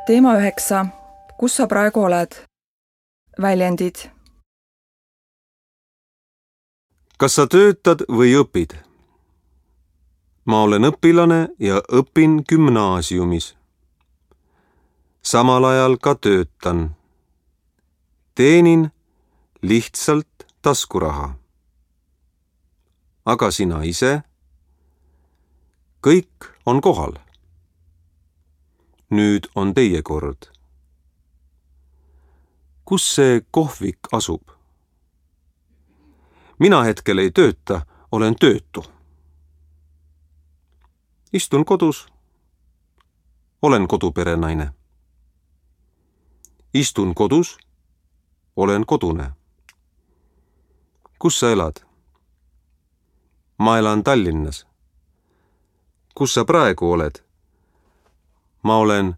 Teema 9. Kus sa praegu oled? Väljendid. Kas sa töötad või õpid? Ma olen õpilane ja õpin gümnaasiumis. Samal ajal ka töötan. Teenin lihtsalt taskuraha. Aga sina ise? Kõik on kohal. Nüüd on teie kord. Kus see kohvik asub? Mina hetkel ei tööta, olen töötu. Istun kodus. Olen koduperenaine. Istun kodus. Olen kodune. Kus sa elad? Ma elan Tallinnas. Kus sa praegu oled? Ma olen